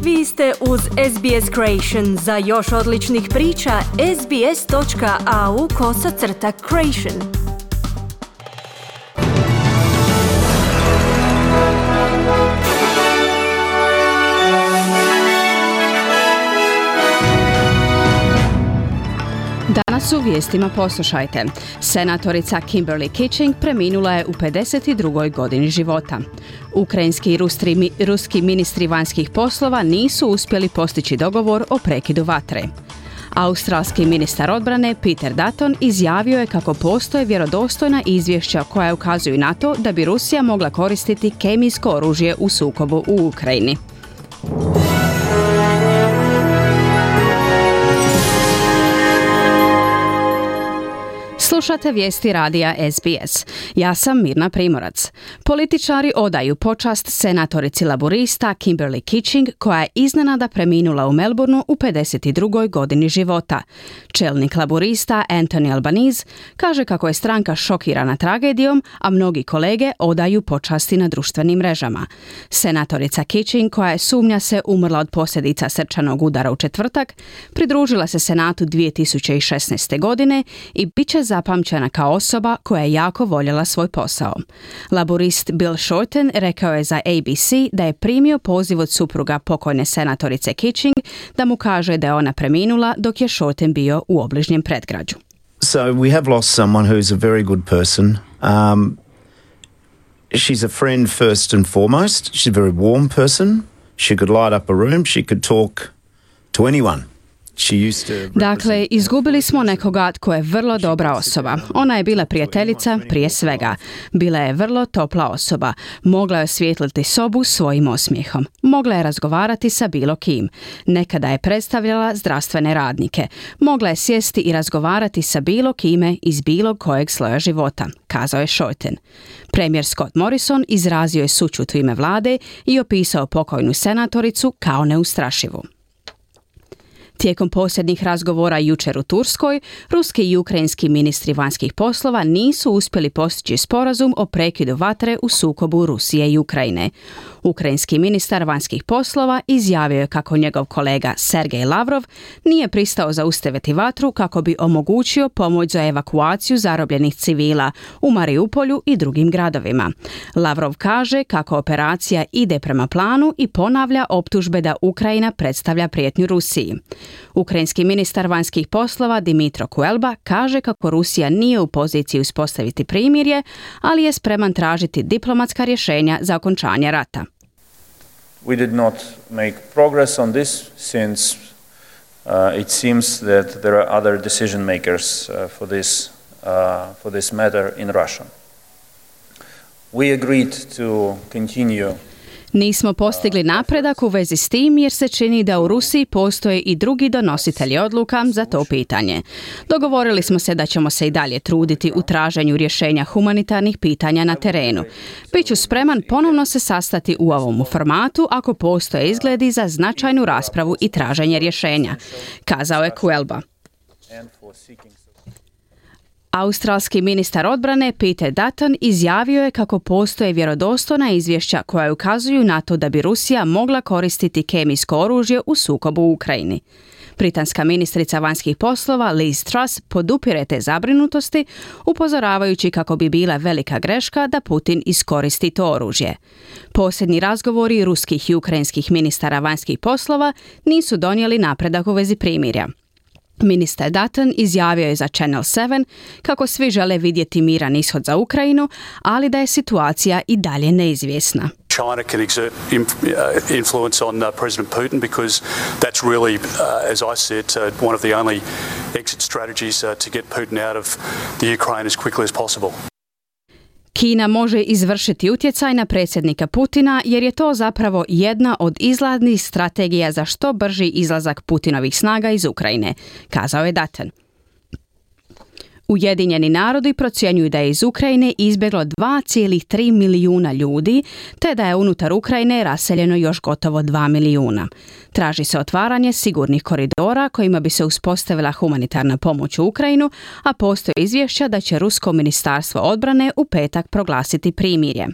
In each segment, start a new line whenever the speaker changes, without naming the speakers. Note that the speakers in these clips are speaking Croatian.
Vi ste uz SBS Creation. Za još odličnih priča, sbs.au/creation.
Danas u vijestima poslušajte. Senatorica Kimberly Kitching preminula je u 52. godini života. Ukrajinski i ruski ministri vanjskih poslova nisu uspjeli postići dogovor o prekidu vatre. Australski ministar odbrane Peter Dutton izjavio je kako postoje vjerodostojna izvješća koja ukazuju na to da bi Rusija mogla koristiti kemijsko oružje u sukobu u Ukrajini. Slušate vijesti radija SBS. Ja sam Mirna Primorac. Političari odaju počast senatorici laborista Kimberly Kitching, koja je iznenada preminula u Melbourneu u 52. godini života. Čelnik laborista Anthony Albanese kaže kako je stranka šokirana tragedijom, a mnogi kolege odaju počasti na društvenim mrežama. Senatorica Kitching, koja je sumnja se umrla od posljedica srčanog udara u četvrtak, pridružila se Senatu 2016. godine i bit će zapamćena kao osoba koja je jako voljela svoj posao. Laborist Bill Shorten rekao je za ABC da je primio poziv od supruga pokojne senatorice Kitching da mu kaže da je ona preminula dok je Shorten bio u obližnjem predgrađu.
So we have lost someone who's a very good person. She's a friend first and foremost. She's a very warm person. She could light up a room. She could talk to anyone.
Dakle, izgubili smo nekoga tko je vrlo dobra osoba. Ona je bila prijateljica prije svega. Bila je vrlo topla osoba. Mogla je osvijetliti sobu svojim osmijehom. Mogla je razgovarati sa bilo kim. Nekada je predstavljala zdravstvene radnike. Mogla je sjesti i razgovarati sa bilo kime iz bilo kojeg sloja života, kazao je Shorten. Premijer Scott Morrison izrazio je sućut u ime vlade i opisao pokojnu senatoricu kao neustrašivu. Tijekom posljednjih razgovora jučer u Turskoj, ruski i ukrajinski ministri vanjskih poslova nisu uspjeli postići sporazum o prekidu vatre u sukobu Rusije i Ukrajine. Ukrajinski ministar vanjskih poslova izjavio je kako njegov kolega Sergej Lavrov nije pristao zaustaviti vatru kako bi omogućio pomoć za evakuaciju zarobljenih civila u Mariupolju i drugim gradovima. Lavrov kaže kako operacija ide prema planu i ponavlja optužbe da Ukrajina predstavlja prijetnju Rusiji. Ukrajinski ministar vanjskih poslova Dmytro Kuleba kaže kako Rusija nije u poziciji uspostaviti primirje, ali je spreman tražiti diplomatska rješenja za okončanje rata.
We did not make progress on this since it seems that there are other decision makers for this matter in Russia. We agreed to continue.
Nismo postigli napredak u vezi s tim jer se čini da u Rusiji postoje i drugi donositelji odluka za to pitanje. Dogovorili smo se da ćemo se i dalje truditi u traženju rješenja humanitarnih pitanja na terenu. Biću spreman ponovno se sastati u ovom formatu ako postoje izgledi za značajnu raspravu i traženje rješenja, kazao je Kuleba. Australski ministar odbrane Peter Dutton izjavio je kako postoje vjerodostojna izvješća koja ukazuju na to da bi Rusija mogla koristiti kemijsko oružje u sukobu u Ukrajini. Britanska ministrica vanjskih poslova Liz Truss podupire te zabrinutosti, upozoravajući kako bi bila velika greška da Putin iskoristi to oružje. Posljednji razgovori ruskih i ukrajinskih ministara vanjskih poslova nisu donijeli napredak u vezi primirja. Ministar Dutton izjavio je za Channel 7 kako svi žele vidjeti miran ishod za Ukrajinu, ali da je situacija i dalje neizvjesna.
China can exert influence on President Putin because that's really, as I said, one of the only exit strategies to get Putin out of the Ukraine as quickly as possible.
Kina može izvršiti utjecaj na predsjednika Putina jer je to zapravo jedna od izlaznih strategija za što brži izlazak Putinovih snaga iz Ukrajine, kazao je Dutton. Ujedinjeni narodi procjenjuju da je iz Ukrajine izbjeglo 2,3 milijuna ljudi, te da je unutar Ukrajine raseljeno još gotovo 2 milijuna. Traži se otvaranje sigurnih koridora kojima bi se uspostavila humanitarna pomoć u Ukrajinu, a postoje izvješća da će Rusko ministarstvo odbrane u petak proglasiti primirje.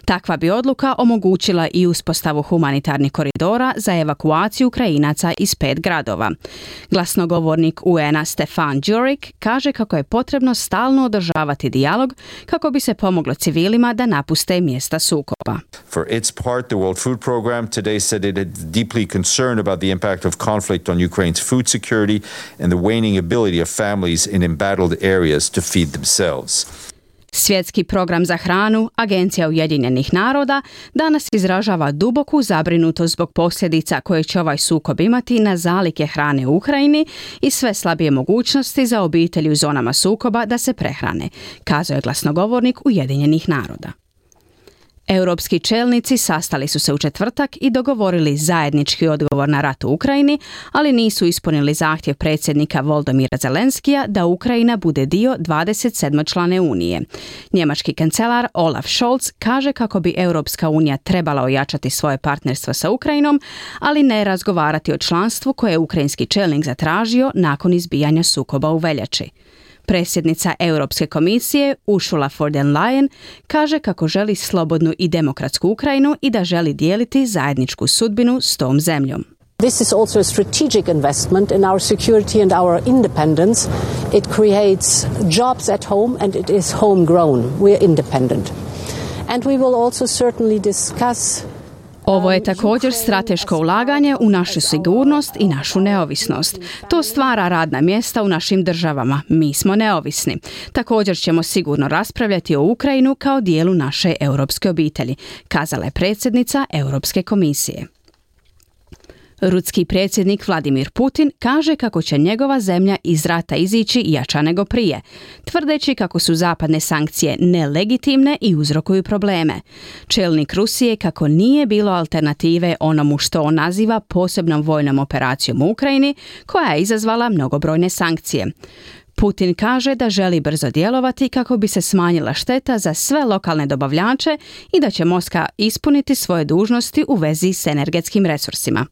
Takva bi odluka omogućila i uspostavu humanitarnih koridora za evakuaciju Ukrajinaca iz 5 gradova. Glasnogovornik UN-a Stefan Djurik kaže kako je potrebno stalno održavati dijalog kako bi se pomoglo civilima da napuste mjesta sukoba.
For its part, the World Food Programme today said it is deeply concerned about the impact of conflict on Ukraine's food security and the waning ability of families in embattled areas to feed themselves.
Svjetski program za hranu, Agencija Ujedinjenih naroda, danas izražava duboku zabrinutost zbog posljedica koje će ovaj sukob imati na zalihe hrane u Ukrajini i sve slabije mogućnosti za obitelji u zonama sukoba da se prehrane, kazao je glasnogovornik Ujedinjenih naroda. Europski čelnici sastali su se u četvrtak i dogovorili zajednički odgovor na rat u Ukrajini, ali nisu ispunili zahtjev predsjednika Volodymyra Zelenskija da Ukrajina bude dio 27-člane Unije. Njemački kancelar Olaf Scholz kaže kako bi Europska unija trebala ojačati svoje partnerstvo sa Ukrajinom, ali ne razgovarati o članstvu koje je ukrajinski čelnik zatražio nakon izbijanja sukoba u veljači. Predsjednica Europske komisije Ursula von der Leyen kaže kako želi slobodnu i demokratsku Ukrajinu i da želi dijeliti zajedničku sudbinu s tom zemljom.
This is also a strategic investment in our security and our independence. It creates jobs at home and it is homegrown. We are independent. And we will also certainly discuss.
Ovo je također strateško ulaganje u našu sigurnost i našu neovisnost. To stvara radna mjesta u našim državama. Mi smo neovisni. Također ćemo sigurno raspravljati o Ukrajinu kao dijelu naše europske obitelji, kazala je predsjednica Europske komisije. Ruski predsjednik Vladimir Putin kaže kako će njegova zemlja iz rata izići jača nego prije, tvrdeći kako su zapadne sankcije nelegitimne i uzrokuju probleme. Čelnik Rusije kako nije bilo alternative onomu što on naziva posebnom vojnom operacijom u Ukrajini, koja je izazvala mnogobrojne sankcije. Putin kaže da želi brzo djelovati kako bi se smanjila šteta za sve lokalne dobavljače i da će Moskva ispuniti svoje dužnosti u vezi s energetskim resursima.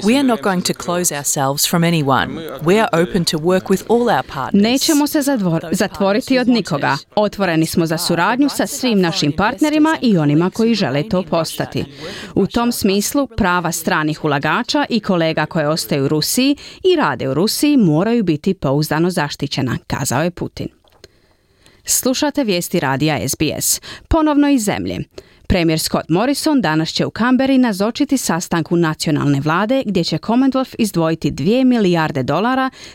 We are not going to close ourselves from anyone. We are open to work with all our partners.
Nećemo se zatvoriti od nikoga. Otvoreni smo za suradnju sa svim našim partnerima i onima koji žele to postati. U tom smislu prava stranih ulagača i kolega koje ostaju u Rusiji i rade u Rusiji moraju biti pouzdano zaštićena, kazao je Putin. Slušate vijesti radija SBS. Ponovno iz zemlje. Premijer Scott Morrison danas će u Canberri nazočiti sastanku nacionalne vlade gdje će Commonwealth izdvojiti $2 milijarde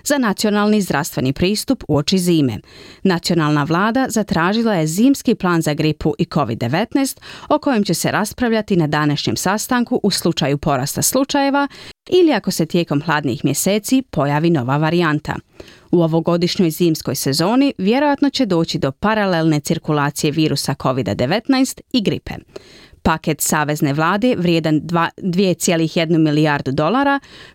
za nacionalni zdravstveni pristup uoči zime. Nacionalna vlada zatražila je zimski plan za gripu i COVID-19 o kojem će se raspravljati na današnjem sastanku u slučaju porasta slučajeva ili ako se tijekom hladnijih mjeseci pojavi nova varijanta. U ovogodišnjoj zimskoj sezoni vjerojatno će doći do paralelne cirkulacije virusa COVID-19 i gripe. Paket savezne vlade vrijedan $2,1 milijardu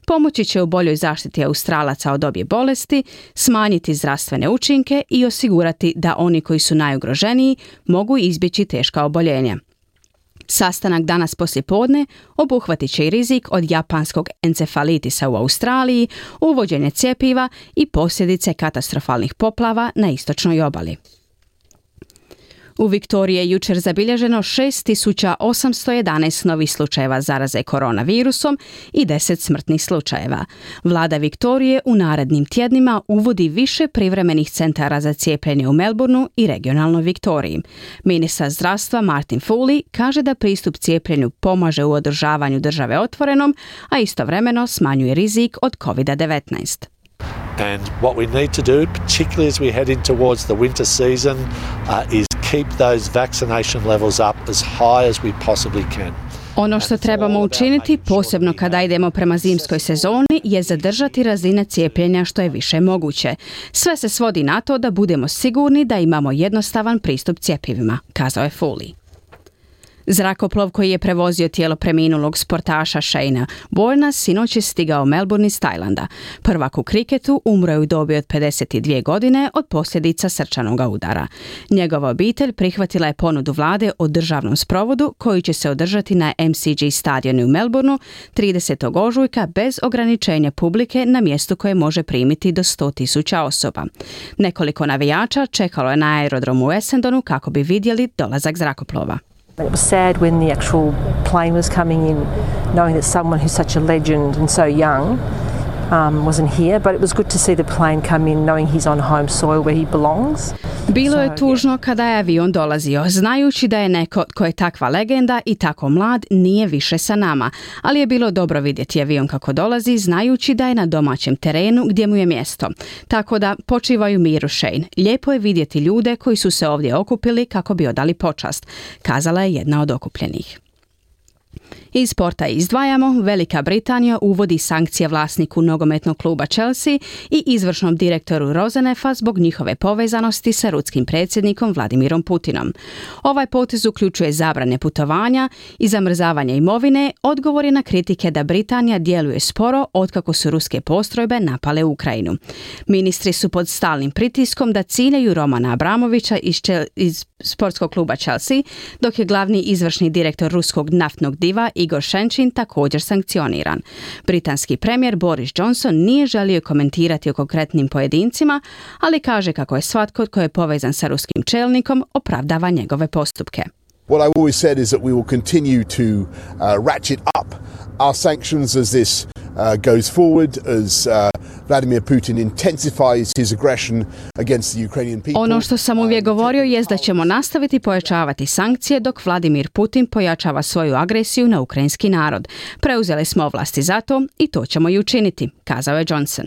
pomoći će u boljoj zaštiti Australaca od obje bolesti, smanjiti zdravstvene učinke i osigurati da oni koji su najugroženiji mogu izbjeći teška oboljenja. Sastanak danas poslijepodne obuhvatit će i rizik od japanskog encefalitisa u Australiji, uvođenje cjepiva i posljedice katastrofalnih poplava na istočnoj obali. U Viktoriji je jučer zabilježeno 6.811 novih slučajeva zaraze koronavirusom i 10 smrtnih slučajeva. Vlada Viktorije u narednim tjednima uvodi više privremenih centara za cijepljenje u Melbourneu i regionalnoj Viktoriji. Ministar zdravstva Martin Foley kaže da pristup cijepljenju pomaže u održavanju države otvorenom, a istovremeno smanjuje rizik od COVID-19.
And what we need to do, particularly as we head in towards the winter season, is keep those vaccination levels up as high as we possibly can.
Ono što trebamo učiniti, posebno kada idemo prema zimskoj sezoni, je zadržati razine cijepljenja što je više moguće. Sve se svodi na to da budemo sigurni da imamo jednostavan pristup cjepivima, kazao je Foley. Zrakoplov koji je prevozio tijelo preminulog sportaša Shayna Bourna sinoć je stigao u Melbourne iz Tajlanda. Prvak u kriketu umro je u dobi od 52 godine od posljedica srčanog udara. Njegova obitelj prihvatila je ponudu vlade o državnom sprovodu koji će se održati na MCG stadionu u Melbourneu 30. ožujka bez ograničenja publike na mjestu koje može primiti do 100.000 osoba. Nekoliko navijača čekalo je na aerodromu u Essendonu kako bi vidjeli dolazak zrakoplova.
It was sad when the actual plane was coming in, knowing that someone who's such a legend and so young wasn't here, but it was good to see the plane come in knowing he's on home soil where he belongs.
Bilo je tužno kada je avion dolazio, znajući da je neko tko je takva legenda i tako mlad nije više sa nama, ali je bilo dobro vidjeti avion kako dolazi, znajući da je na domaćem terenu gdje mu je mjesto. Tako da počivaju miru, Shane. Lijepo je vidjeti ljude koji su se ovdje okupili kako bi odali počast, kazala je jedna od okupljenih. Iz sporta izdvajamo, Velika Britanija uvodi sankcije vlasniku nogometnog kluba Chelsea i izvršnom direktoru Rozenefa zbog njihove povezanosti sa ruskim predsjednikom Vladimirom Putinom. Ovaj potez uključuje zabrane putovanja i zamrzavanje imovine, odgovor je na kritike da Britanija djeluje sporo otkako su ruske postrojbe napale Ukrajinu. Ministri su pod stalnim pritiskom da ciljaju Romana Abramovića iz sportskog kluba Chelsea, dok je glavni izvršni direktor ruskog naftnog diva Igor Šenčin također sankcioniran. Britanski premijer Boris Johnson nije želio komentirati o konkretnim pojedincima, ali kaže kako je svatko tko je povezan sa ruskim čelnikom opravdava njegove postupke.
What I've always said is that we will continue to ratchet up our sanctions as this goes forward, as Vladimir Putin intensifies his aggression against the Ukrainian people.
Ono što sam uvijek govorio jest da ćemo nastaviti pojačavati sankcije dok Vladimir Putin pojačava svoju agresiju na ukrajinski narod. Preuzeli smo ovlasti za to i to ćemo i učiniti, kazao je Johnson.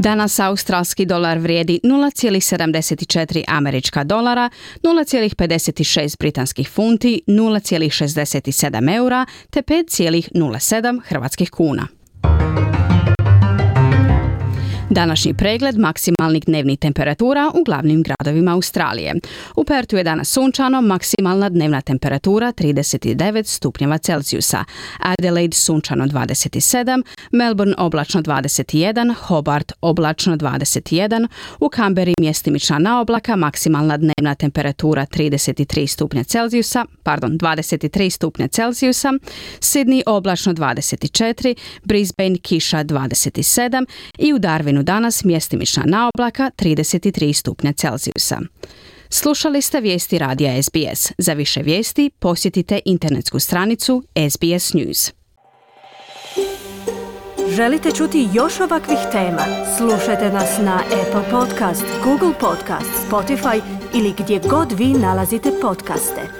Danas australski dolar vrijedi 0,74 američka dolara, 0,56 britanskih funti, 0,67 eura te 5,07 hrvatskih kuna. Današnji pregled maksimalnih dnevnih temperatura u glavnim gradovima Australije. U Pertu je danas sunčano, maksimalna dnevna temperatura 39 stupnjeva Celzijusa. Adelaide sunčano 27, Melbourne oblačno 21, Hobart oblačno 21, u Canberri mjestimična naoblaka, maksimalna dnevna temperatura 23 stupnja Celzijusa, 23 stupnja Celzijusa, Sydney oblačno 24, Brisbane kiša 27 i u Darwinu danas mjestimična naoblaka 33 stupnja Celzijusa. Slušali ste vijesti radija SBS. Za više vijesti posjetite internetsku stranicu SBS News.
Želite čuti još ovakvih tema? Slušajte nas na Apple Podcast, Google Podcast, Spotify ili gdje god vi nalazite podcaste.